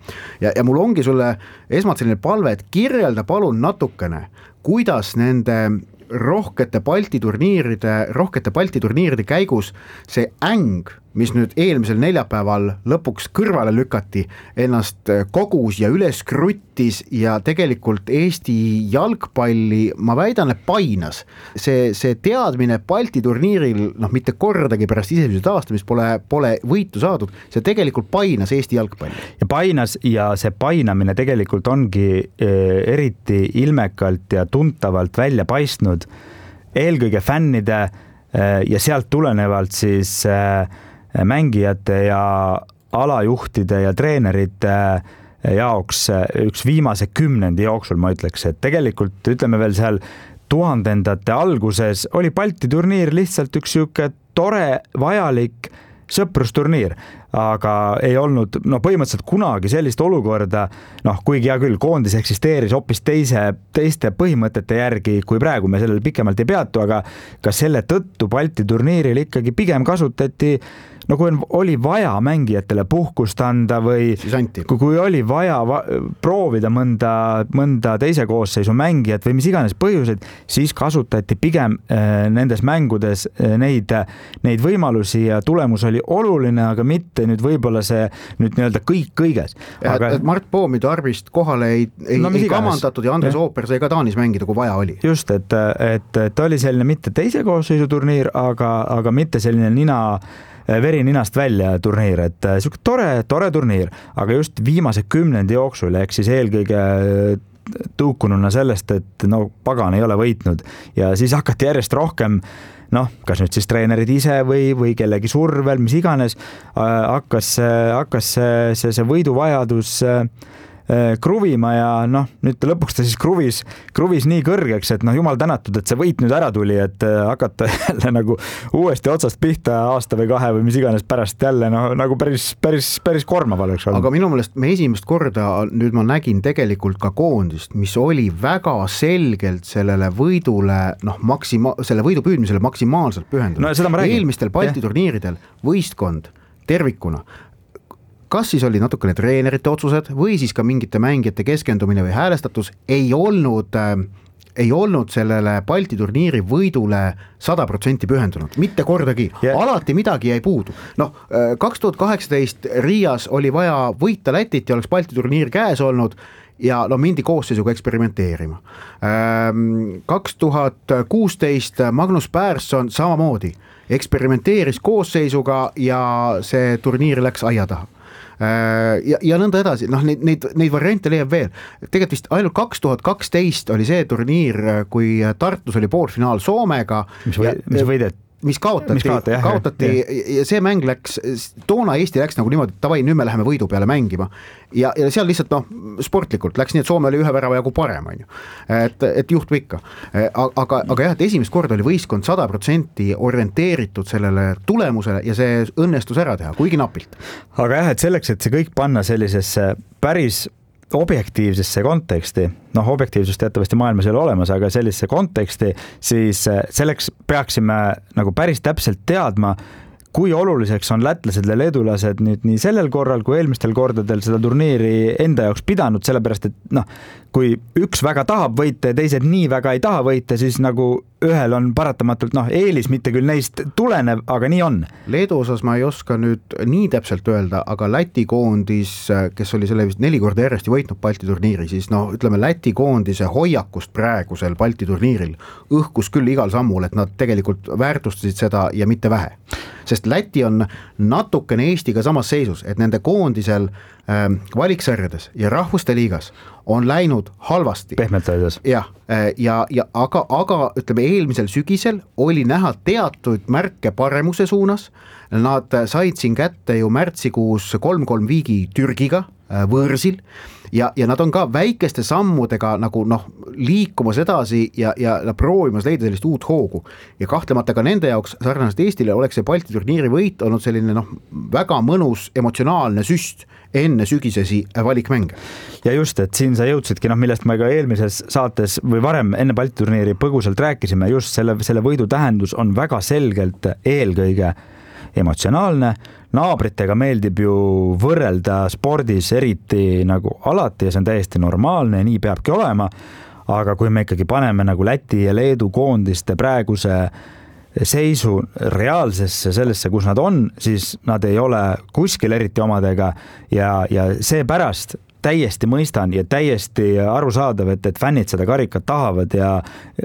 Ja mul ongi sulle esmalt selline palve, et kirjelda palun natukene, kuidas nende rohkete Balti turniiride käigus see äng, mis nüüd eelmisel neljapäeval lõpuks kõrvale lükati, ennast kogus ja üles kruttis ja tegelikult Eesti jalgpalli, ma väidan, et painas. See teadmine Balti turniiril, mitte kordagi pärast iseseisvuse taastamist pole võitu saadud, see tegelikult painas Eesti jalgpalli. Ja painas ja see painamine tegelikult ongi eriti ilmekalt ja tuntavalt välja paistnud eelkõige fännide ja sealt tulenevalt siis mängijate ja alajuhtide ja treenerite jaoks üks viimase 10 jooksul, ma ütleks, et tegelikult ütleme veel seal 2000-ndate alguses oli Balti turniir lihtsalt üks siuke tore, vajalik sõprusturniir. aga ei olnud põhimõtteliselt kunagi sellist olukorda, kuigi hea küll, koondis eksisteeris hoopis teiste põhimõtete järgi, kui praegu me sellel pikemalt ei peatu, aga ka selle tõttu Balti turniiril ikkagi pigem kasutati, kui oli vaja mängijatele puhkust anda või kui oli vaja proovida mõnda teise koosseisu mängijat või mis iganes põhjused, siis kasutati pigem nendes mängudes neid võimalusi ja tulemus oli oluline, aga mitte nüüd võib-olla see nüüd nii-öelda kõik kõiges. Aga... Mart Poomidu arvist kohale ei kamandatud ja Andres Ooper sai ka Taanis mängida, kui vaja oli. Just, et oli selline mitte teise koosseisu turniir, aga mitte selline veri ninast välja turniir, et siuke tore turniir, aga just viimase 10 jooksul ehk siis eelkõige tõukununa sellest, et pagan ei ole võitnud ja siis hakati järjest rohkem kas nüüd siis treenerid ise või kellegi survel, mis iganes, hakkas see võiduvajadus kruvima ja nüüd lõpuks ta siis kruvis nii kõrgeks, et jumal tänatud, et see võit nüüd ära tuli, et hakata jälle nagu uuesti otsast pihta aasta või 2 või mis iganes pärast jälle nagu päris kormav oleks olnud. Aga minu meelest me esimest korda nüüd ma nägin tegelikult ka koondist, mis oli väga selgelt sellele võidule, selle võidu püüdmisele maksimaalselt pühendunud. Eelmistel Balti turniiridel võistkond tervikuna kas siis oli natukene treenerite otsused või siis ka mingite mängijate keskendumine või häälestatus ei olnud sellele Balti turniiri võidule 100% pühendunud, mitte kordagi, alati midagi jäi puudu. 2018 Riias oli vaja võita Lätit ja oleks Balti turniir käes olnud ja mindi koosseisuga eksperimenteerima. 2016 Magnus Persson samamoodi eksperimenteeris koosseisuga ja see turniir läks aia taha. Ja nõnda edasi, neid variante leiab veel. Tegelikult vist ainult 2012 oli see turniir, kui Tartus oli poolfinaal Soomega. Mis kaotati ja see mäng läks, toona Eesti läks nagu niimoodi, et tavai, nüüd me läheme võidu peale mängima ja seal lihtsalt sportlikult läks nii, et Soome oli ühe värava jagu parem, et juhtub ikka. Aga jah, et esimest korda oli võistkond 100% orienteeritud sellele tulemusele ja see õnnestus ära teha, kuigi napilt. Aga jah, et selleks, et see kõik panna sellisesse päris objektiivsesse konteksti, objektiivsust teatavasti maailmas ei ole olemas, aga sellisesse konteksti, siis selleks peaksime nagu päris täpselt teadma, kui oluliseks on lätlased ja leedulased nüüd nii sellel korral kui eelmistel kordadel seda turniiri enda jaoks pidanud, sellepärast et kui üks väga tahab võita ja teised nii väga ei taha võita, siis nagu ühel on paratamatult eelis, mitte küll neist tulenev, aga nii on. Leedu osas ma ei oska nüüd nii täpselt öelda, aga Läti koondis, kes oli selle vist 4 korda järjest võitnud Balti turniiri, siis ütleme Läti koondise hoiakust praegusel Balti turniiril õhkus küll igal sammul, et nad tegelikult väärtustasid seda ja mitte vähe. Sest Läti on natukene Eestiga samas seisus, et nende koondisel valiksarjades ja rahvuste liigas on läinud halvasti. Pehmelt öeldes. Aga ütleme, eelmisel sügisel oli näha teatud märke paremuse suunas. Nad said siin kätte ju märtsikuus 3-3 viigi Türgiga võõrsil ja nad on ka väikeste sammudega nagu liikumas edasi ja proovimas leida sellist uut hoogu. Ja kahtlemata ka nende jaoks sarnaselt Eestile oleks see Balti turniiri võit olnud selline väga mõnus emotsionaalne süst enne sügisesi valikmänge. Ja just, et siin sa jõudsidki, millest me ka eelmises saates või varem enne Balti turniiri põgusalt rääkisime, just selle võidu tähendus on väga selgelt eelkõige emotsionaalne. Naabritega meeldib ju võrrelda spordis eriti nagu alati ja see on täiesti normaalne ja nii peabki olema, aga kui me ikkagi paneme nagu Läti ja Leedu koondiste praeguse seisu reaalsesse sellesse, kus nad on, siis nad ei ole kuskil eriti omadega ja seepärast täiesti mõistan ja täiesti arusaadav, et fännid seda karikat tahavad ja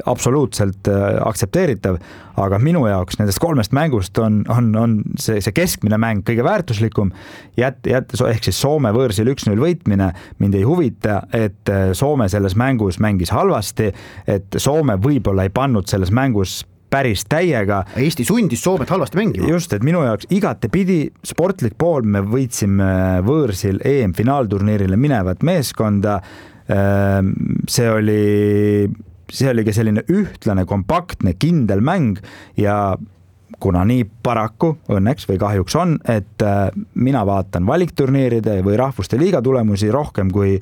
absoluutselt aktsepteeritav, aga minu jaoks nendest 3 mängust on see keskmine mäng kõige väärtuslikum, ehk siis Soome võõrsil 1-0 võitmine mind ei huvita, et Soome selles mängus mängis halvasti, et Soome võib-olla ei pannud selles mängus päris täiega. Eesti sundis Soomet halvasti mängima. Just, et minu jaoks igatepidi sportlik pool me võitsime võõrsil EM-finaalturniirile minevat meeskonda. See oli ka selline ühtlane, kompaktne, kindel mäng ja kuna nii paraku õnneks või kahjuks on, et mina vaatan valikturniiride või rahvuste liiga tulemusi rohkem kui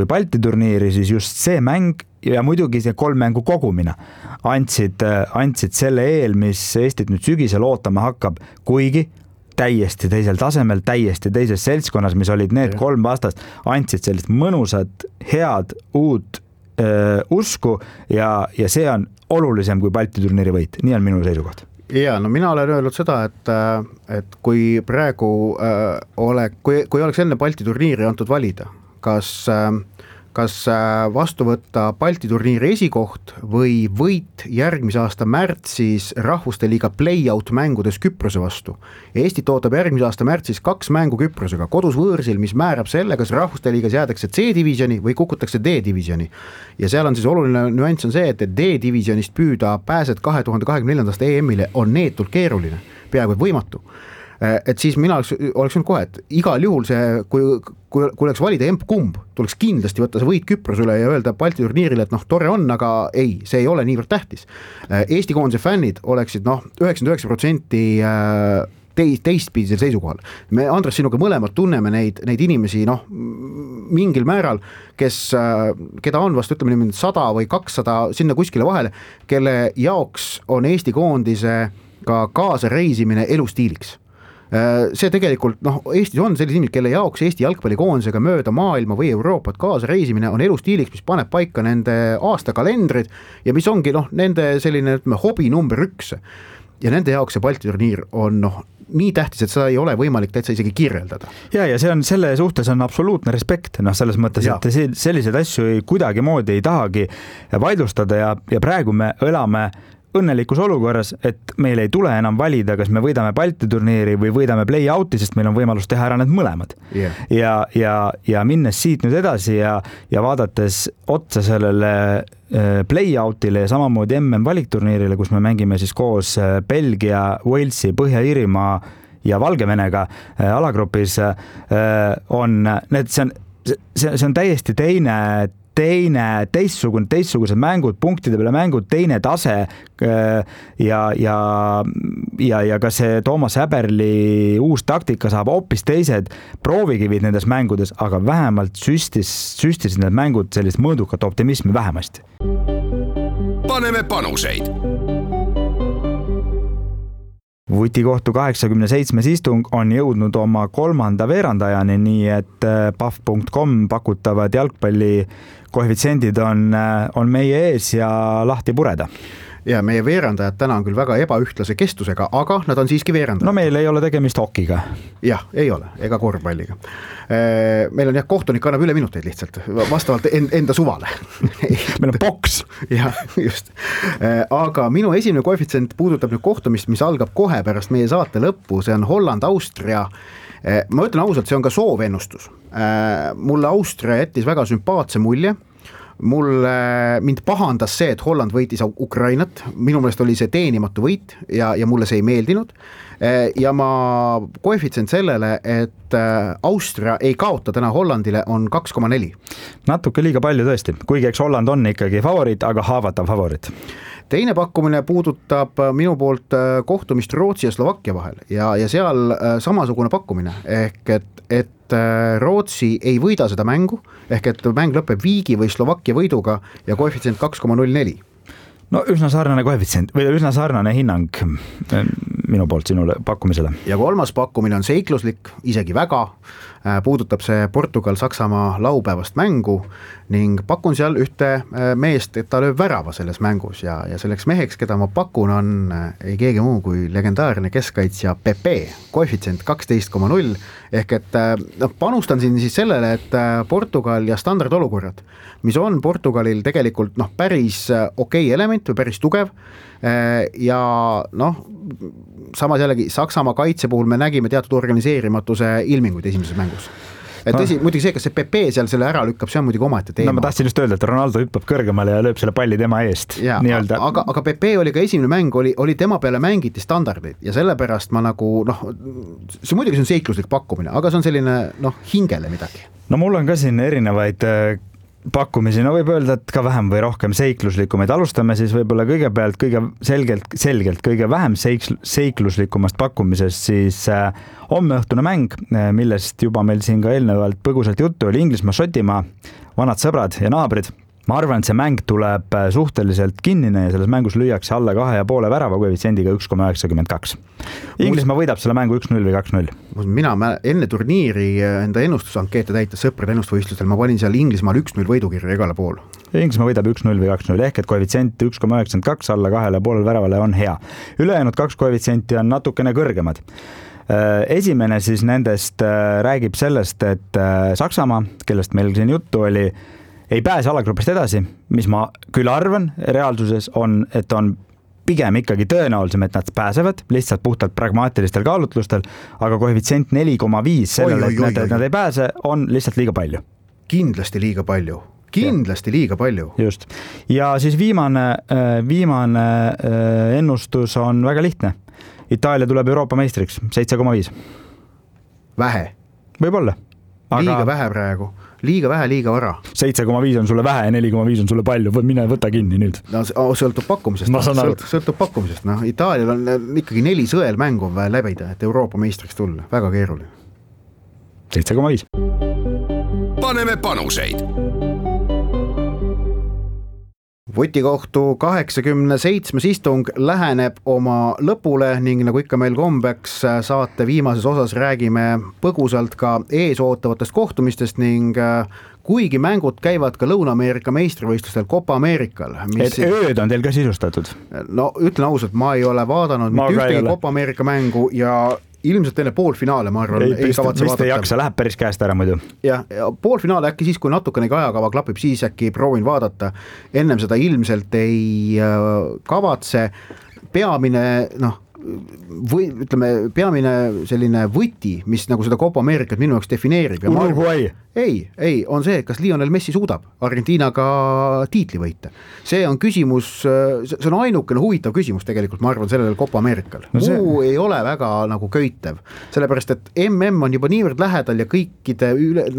Balti turniiri, siis just see mäng ja muidugi see 3 mängu kogumine andsid selle eel, mis Eestit nüüd sügisel ootama hakkab, kuigi täiesti teisel tasemel, täiesti teises seltskonnas, mis olid need 3 vastast, andsid sellist mõnusat, head, uut usku ja see on olulisem kui Balti turniiri võit. Nii on minu seisukoht. Ja, no mina olen öelnud seda, et kui praegu kui oleks enne Balti turniiri antud valida, kas vastu võtta Balti turniiri esikoht või võit järgmise aasta märtsis rahvuste liiga play-out mängudes Küprose vastu. Eestit ootab järgmise aasta märtsis 2 mängu Küprosega kodus võõrsil, mis määrab selle, kas rahvuste liigas jäädakse C-divisjoni või kukutakse D-divisjoni. Ja seal on siis oluline nüanss on see, et D-divisionist püüda pääsed 2024. EM-ile on neetult keeruline, peaaegu võimatu. Et siis mina oleks kohe, et igal juhul see, kui oleks valida emp-kumb, tuleks kindlasti võtta see võit Küprose üle ja öelda Balti turniirile, et tore on, aga ei, see ei ole niivõrd tähtis. Eesti koondise fännid oleksid 99% teistpidisel seisukohal. Me Andres sinuga mõlemad tunneme neid inimesi mingil määral, keda on vast ütleme 100 või 200 sinna kuskile vahele, kelle jaoks on Eesti koondise ka kaasa reisimine elustiiliks. See tegelikult, Eestis on sellised inimesed, kelle jaoks Eesti jalgpallikoondisega mööda maailma või Euroopat kaasa reisimine on elustiiliks, mis paneb paika nende aastakalendrid ja mis ongi nende selline hobi number 1. Ja nende jaoks see Balti turniir on nii tähtis, et seda ei ole võimalik täitsa isegi kirjeldada. Ja see on selle suhtes on absoluutne respekt, selles mõttes, et selliseid asju kuidagi moodi ei tahagi vaidlustada ja praegu me elame õnnelikus olukorras, et meil ei tule enam valida, kas me võidame Balti turniiri või võidame play-out'i, sest meil on võimalus teha ära need mõlemad. Ja minnes siit nüüd edasi ja vaadates otsa sellele play-out'ile ja samamoodi valikturniirile, kus me mängime siis koos Belgia, Walesi, Põhja-Iirimaa ja Valgevenega alagrupis, see on täiesti teistsugused mängud, punktide peale mängud, teine tase ja ka see Toomas Häberli uus taktika saab hoopis teised proovikivid nendes mängudes, aga vähemalt süstisid need mängud sellist mõõdukat optimismi vähemasti. Paneme panuseid. Vutikohtu 87. istung on jõudnud oma 3. veerandajani, nii et paf.com pakutavad jalgpalli koefitsiendid on meie ees ja lahti pureda. Ja meie veerandajad täna on küll väga ebaühtlase kestusega, aga nad on siiski veerandajad. No meil ei ole tegemist hokiga. Jah, ei ole, ega korvpalliga. Meil on kohtunik annab üle minuteid lihtsalt, vastavalt enda suvale. Meil on boks. Jah, just. Aga minu esimene koefitsient puudutab nüüd kohtumist, mis algab kohe pärast meie saate lõppu, see on Holland-Austria. Ma ütlen ausalt, see on ka soovennustus. Mulle Austria jättis väga sümpaatse mulje. Mind pahandas see, et Holland võitis Ukrainat, minu meelest oli see teenimatu võit ja mulle see ei meeldinud ja ma koefitsient sellele, et Austria ei kaota täna Hollandile on 2,4. Natuke liiga palju tõesti, kuigi eks Holland on ikkagi favoriit, aga haavatav favoriit. Teine pakkumine puudutab minu poolt kohtumist Rootsi ja Slovakkia vahel ja seal samasugune pakkumine ehk et Rootsi ei võida seda mängu ehk et mäng lõpeb viigi või Slovakkia võiduga ja koefitsient 2,04. No üsna sarnane koefitsient või üsna sarnane hinnang minu poolt sinule pakkumisele. Ja 3. pakkumine on seikluslik, isegi väga, puudutab see Portugal-Saksamaa laupäevast mängu ning pakun seal ühte meest, et ta lööb värava selles mängus ja selleks meheks, keda ma pakun, on ei keegi muu kui legendaarne keskkaitsja Pepe, koefitsient 12,0 ehk et panustan siin siis sellele, et Portugal ja standardolukorrad, mis on Portugalil tegelikult päris okei element või päris tugev ja samas jällegi Saksamaa kaitse puhul me nägime teatud organiseerimatuse ilminguid esimeses mängus. Tõsi, muidugi see, kas see Pepe seal selle ära lükkab, see on muidugi omaette teema. No ma tahtsin just öelda, et Ronaldo hüppab kõrgemale ja lööb selle palli tema eest. Ja, aga Pepe oli ka esimene mäng, oli tema peale mängiti standardeid ja sellepärast ma see muidugi see on seikluslik pakkumine, aga see on selline hingele midagi. No mul on ka siin erinevaid pakkumisi, no võib öelda, et ka vähem või rohkem seikluslikumaid. Alustame siis võib-olla kõigepealt kõige selgelt kõige vähem seikluslikumast pakkumisest, siis hommeõhtune mäng, millest juba meil siin ka eelnevalt põgusalt juttu oli, Inglismaa-Šotimaa, vanad sõbrad ja naabrid. Ma arvan, et see mäng tuleb suhteliselt kinnine ja selles mängus lüüakse alla 2,5 värava koefitsiendiga 1,92. Inglismaa võidab selle mängu 1-0 või 2-0. Mina enne turniiri enda ennustusankeete täites sõprade ennustusvõistlustel, ma panin seal Inglismaal 1-0 võidukirja igale pool. Inglismaa võidab 1-0 või 2-0 ehk et koefitsient 1,92 alla 2,5 väravale on hea. Ülejäänud 2 koefitsienti on natukene kõrgemad. Esimene siis nendest räägib sellest, et Saksamaa, kellest meil siin juttu oli, ei pääse alagrupist edasi, mis ma küll arvan reaalsuses on, et on pigem ikkagi tõenäolisem, et nad pääsevad lihtsalt puhtalt pragmaatilistel kaalutlustel, aga koefitsient 4,5 sellele, et nad ei pääse, on lihtsalt liiga palju. Kindlasti liiga palju. Just. Ja siis viimane ennustus on väga lihtne. Itaalia tuleb Euroopa meistriks, 7,5. Vähe. Võib-olla. Liiga vähe praegu. Liiga vähe, liiga vara. 7,5 on sulle vähe ja 4,5 on sulle palju. Mine võta kinni nüüd. No, sõltub pakkumisest. Sõltub pakkumisest. No, Itaalial on ikkagi 4 sõelmängu vaja läbida, et Euroopa meistriks tulla. Väga keeruline. 7,5. Paneme panuseid. Votikohtu 87. istung läheneb oma lõpule ning nagu ikka meil kombeks saate viimases osas räägime põgusalt ka ees ootavatest kohtumistest ning kuigi mängud käivad ka Lõuna-Ameerika meistrivõistlustel Copa Americal. Et ööd on teil ka sisustatud? No ütlen ausalt, ma ei ole vaadanud mitte ühtegi Copa America mängu ja ilmselt enne poolfinaale, ma arvan, ei kavatse vaadata. Ei jaksa, läheb päris käest ära muidu. Ja poolfinaale äkki siis, kui natukenegi ajakava klapib, siis äkki proovin vaadata. Ennem seda ilmselt ei kavatse. Peamine, peamine selline võti, mis nagu seda Copa Americat minu jaoks defineerib. Uruguay. Ei, on see, kas Lionel Messi suudab Argentiinaga tiitli võita. See on küsimus, see on ainukene huvitav küsimus tegelikult, ma arvan, sellel Copa Americal. Muu ei ole väga nagu köitev, sellepärast, et MM on juba niivõrd lähedal ja kõikide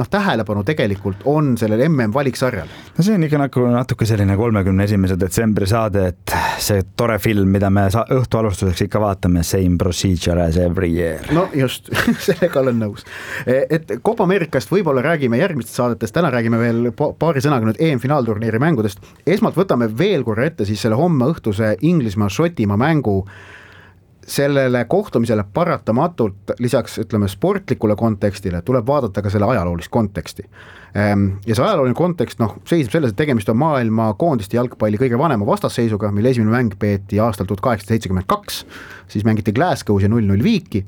tähelepanu tegelikult on sellel MM valiksarjal. No see on ikka natuke selline 31. detsembri saade, et see tore film, mida me õhtu alustuseks ikka vaatame, same procedure as every year. No just, sellega olen nõus. Et Copa Americast võib-olla räägime järgmistest saadetest, täna räägime veel paari sõnaga nüüd EM-finaalturniiri mängudest. Esmalt võtame veel korra ette siis selle homme õhtuse Inglismaa-Šotimaa mängu. Sellele kohtumisele paratamatult lisaks ütleme sportlikule kontekstile tuleb vaadata ka selle ajaloolist konteksti. Ja see ajalooline kontekst seisab selles, et tegemist on maailma koondiste jalgpalli kõige vanema vastasseisuga, mille esimene mäng peeti aastal 1872, siis mängiti Glasgow's ja 0-0 viiki,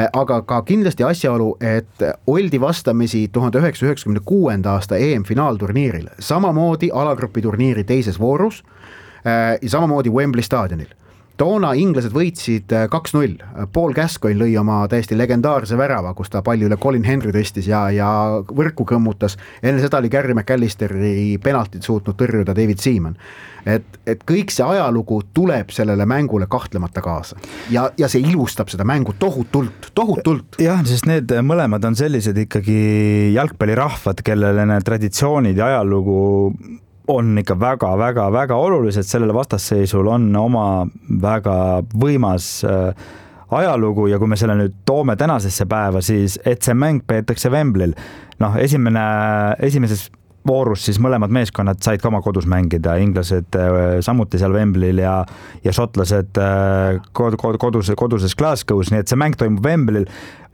aga ka kindlasti asjaolu, et oldi vastamisi 1996. aasta EM-finaalturniiril, samamoodi alagrupi turniiri teises voorus ja samamoodi Wembley staadionil. Toona inglased võitsid 2-0. Paul Gascoigne lõi oma täiesti legendaarse värava, kus ta palli üle Colin Henry tõstis ja võrku kõmmutas. Enne seda oli Gary McAllisteri penaltid suutnud tõrjuda David Seaman. Et kõik see ajalugu tuleb sellele mängule kahtlemata kaasa. Ja see ilustab seda mängu tohutult. Jah, sest need mõlemad on sellised ikkagi jalgpallirahvad, kellele need traditsioonid ja ajalugu on ikka väga olulised, sellele vastasseisul on oma väga võimas ajalugu ja kui me selle nüüd toome tänasesse päeva, siis et see mäng peetakse Wembley'l. Esimeses voorus siis mõlemad meeskonnad said ka oma kodus mängida, inglased samuti seal Wembley'l ja šotlased koduses Glasgow's, nii et see mäng toimub Wembley'l.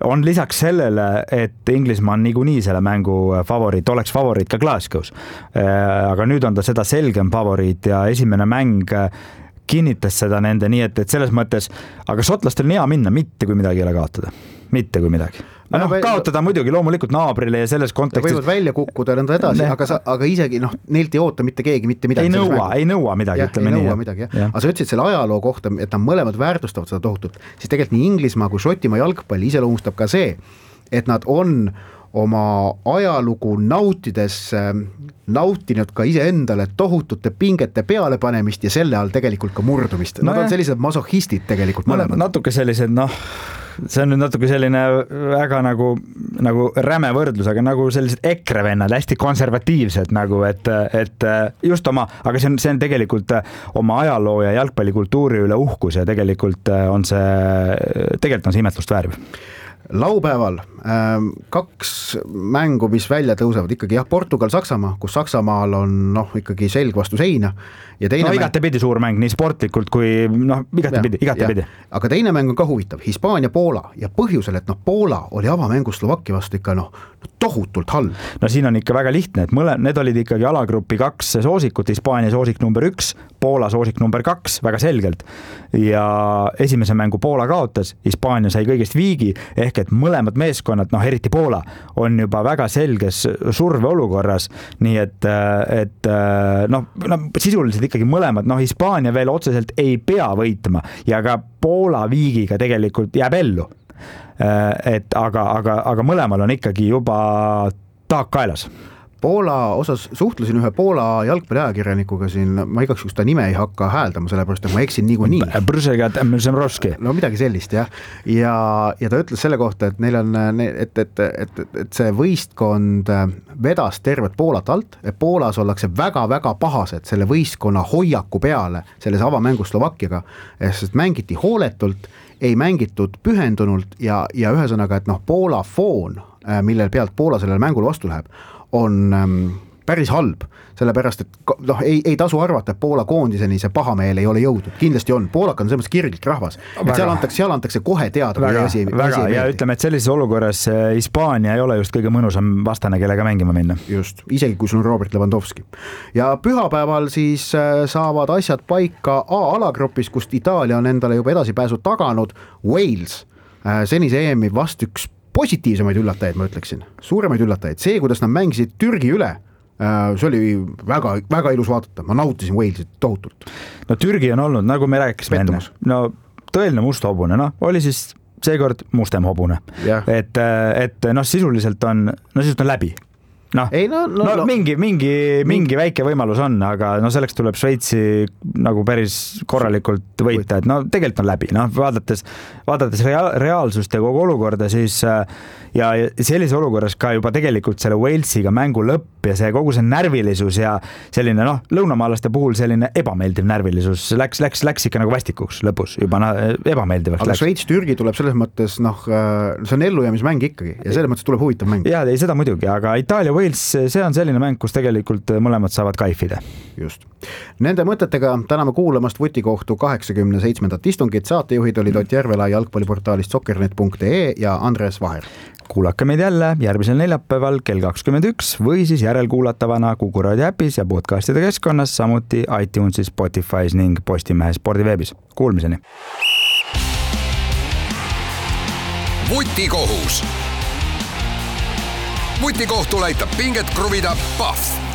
On lisaks sellele, et Inglismaa on niikuinii selle mängu favoriit, oleks favoriit ka Glasgow's. Aga nüüd on ta seda selgem favoriit ja esimene mäng kinnitas seda nende, nii et selles mõttes, aga šotlastel on hea minna, mitte kui midagi ei ole kaotada. Mitte kui midagi. Kaotada muidugi loomulikult naabrile ja selles kontekstis. Võivad välja kukkuda nõnda edasi, aga isegi neilt ei oota mitte keegi mitte midagi. Ei nõua midagi, ütleme nii. Aga sa ütlesid selle ajaloo kohta, et nad mõlemad väärtustavad seda tohutult, siis tegelikult nii Inglismaa kui Šotimaa jalgpalli iseloomustab ka see, et nad on oma ajalugu nautides nautinud ka iseendale tohutute pingete peale panemist ja selle all tegelikult ka murdumist. Nad on sellised masohhistid tegelikult mõlemad. Natuke sellised, see on nüüd natuke selline väga nagu räme võrdlus, aga nagu sellised EKRE vennad, hästi konservatiivsed nagu, et just aga see on tegelikult oma ajaloo ja jalgpallikultuuri üle uhkus ja tegelikult on see imetlust vääriv. Laupäeval 2 mängu, mis välja tõusevad ikkagi Portugal-Saksamaa, kus Saksamaal on ikkagi selg vastu seina ja teine igatepidi suur mäng, nii sportlikult kui igatepidi. Aga teine mäng on ka huvitav, Hispaania-Poola ja põhjusel, et Poola oli avamängus Slovakkia vastu ikka tohutult halb. No siin on ikka väga lihtne, et need olid ikkagi alagrupi 2 soosikut, Hispaania soosik number 1, Poola soosik number 2, väga selgelt. Ja esimese mängu Poola kaotas, Hispaania sai kõigest viigi, ehk et mõlemad meeskonnad, eriti Poola, on juba väga selges surve olukorras, nii et sisuliselt ikkagi mõlemad, Hispaania veel otseselt ei pea võitma ja ka Poola viigiga tegelikult jääb ellu. Aga mõlemal on ikkagi juba taak kaelas. Poola osas suhtlesin ühe Poola jalgpalliajakirjanikuga siin, ma igaks juhus ta nime ei hakka hääldama, sellepärast, et ma eksin niikuinii. No midagi sellist, jah. Ja ta ütles selle kohta, et neil on, et see võistkond vedas tervet Poolat alt, et Poolas ollakse väga-väga pahased selle võistkonna hoiaku peale selles avamängus Slovakkiaga, sest mängiti hooletult, ei mängitud pühendunult ja ühesõnaga, et Poola foon, millel pealt Poola sellele mängule vastu läheb, on päris halb, sellepärast, et ei tasu arvata, et Poola koondiseni see pahameel ei ole jõudnud. Kindlasti on. Poolak on selles kirglik rahvas. Et seal antakse kohe teada. Väga. Ja ütleme, et sellises olukorras Hispaania ei ole just kõige mõnusam vastane, kellega mängima minna. Just. Isegi kui sul on Robert Lewandowski. Ja pühapäeval siis saavad asjad paika A-alagrupis, kust Itaalia on endale juba edasipääsu taganud. Wales, senise EM-i vast üks positiivsemaid üllatajaid, ma ütleksin. Suuremaid üllatajaid. See, kuidas nad mängisid Türgi üle, see oli väga, väga ilus vaadata. Ma nautisin Walesit tohutult. No Türgi on olnud, nagu me rääkisime enne. No tõeline must hobune, oli siis seekord mustem hobune. Et sisuliselt on läbi. Mingi väike võimalus on, aga selleks tuleb Šveitsi nagu päris korralikult võita, et tegelikult on läbi. Vaadates reaalsust ja kogu olukorda, siis ja sellise olukorras ka juba tegelikult selle Walesiga mängu lõpp ja see kogu see närvilisus ja selline lõunamaalaste puhul selline ebameeldiv närvilisus läks ikka nagu vastikuks lõpus, juba ebameeldivaks läks. Aga Šveits-Türgi tuleb selles mõttes, see on ellujäämismäng ikkagi ja selles mõttes tuleb huvitav mäng. Jaa, ei seda muidugi, aga Itaalia see on selline mäng, kus tegelikult mõlemad saavad kaifida. Just. Nende mõtetega täname kuulamast Vutikohtu 87. istungit. Saatejuhid olid Ott Järvela jalgpalliportaalist soccernet.ee ja Andres Vaher. Kuulake meid jälle järgmisel neljapäeval kell 21 või siis järelkuulatavana Kuku Raadio äpis ja podcastide keskkonnas, samuti iTunesis, Spotify's ning Postimehe spordiveebis. Kuulmiseni! Vutikohus. Vutikohtul aitab pinget kruvida Pahv.